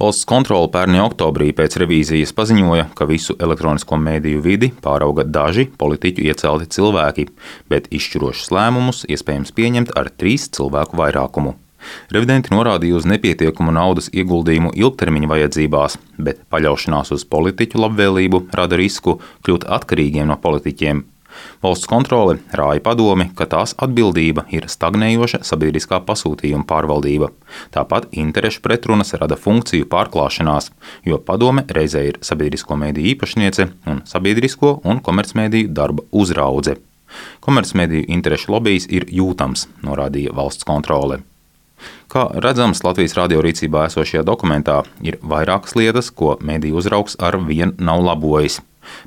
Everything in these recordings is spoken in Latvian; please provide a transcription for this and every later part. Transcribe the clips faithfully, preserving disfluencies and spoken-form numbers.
Valsts kontrole pērn oktobrī pēc revīzijas paziņoja, ka visu elektronisko mediju vidi pārauga daži politiķu iecelti cilvēki, bet izšķirošus lēmumus iespējams pieņemt ar trīs cilvēku vairākumu. Revidenti norādīja uz nepietiekumu naudas ieguldījumu ilgtermiņa vajadzībās, bet paļaušanās uz politiķu labvēlību rada risku kļūt atkarīgiem no politiķiem. Valsts kontrole rāja padomi, ka tās atbildība ir stagnējoša sabiedriskā pasūtījuma pārvaldība. Tāpat interešu pretrunas rada funkciju pārklāšanās, jo padome reizē ir sabiedrisko mediju īpašniece un sabiedrisko un komercmediju darba uzraudze. Komercmediju interešu lobijs ir jūtams, norādīja valsts kontrole. Kā redzams Latvijas radio rīcībā esošajā dokumentā, ir vairākas lietas, ko mediju uzraugs ar vien nav labojis.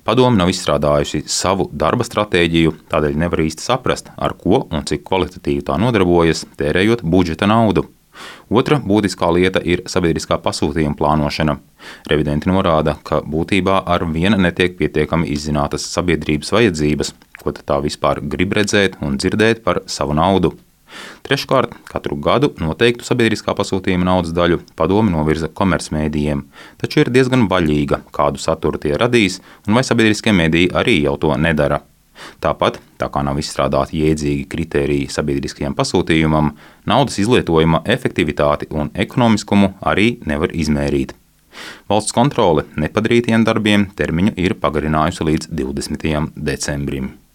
Padome nav izstrādājusi savu darba stratēģiju, tādēļ nevar īsti saprast, ar ko un cik kvalitatīvi tā nodarbojas, tērējot budžeta naudu. Otra būtiskā lieta ir sabiedriskā pasūtījuma plānošana. Revidenti norāda, ka būtībā ar vienu netiek pietiekami izzinātas sabiedrības vajadzības, ko tā vispār grib redzēt un dzirdēt par savu naudu. Treškārt, katru gadu noteiktu sabiedriskā pasūtījuma naudas daļu padome novirza komercmedijiem, taču ir diezgan vaļīga, kādu saturu tie radīs, un vai sabiedriskie mediji arī jau to nedara. Tāpat, tā kā nav izstrādāti jēdzīgi kritēriji sabiedriskajam pasūtījumam, naudas izlietojuma efektivitāti un ekonomiskumu arī nevar izmērīt. Valsts kontrole nepadarītiem darbiem termiņu ir pagarinājusi līdz divdesmitajam decembrim.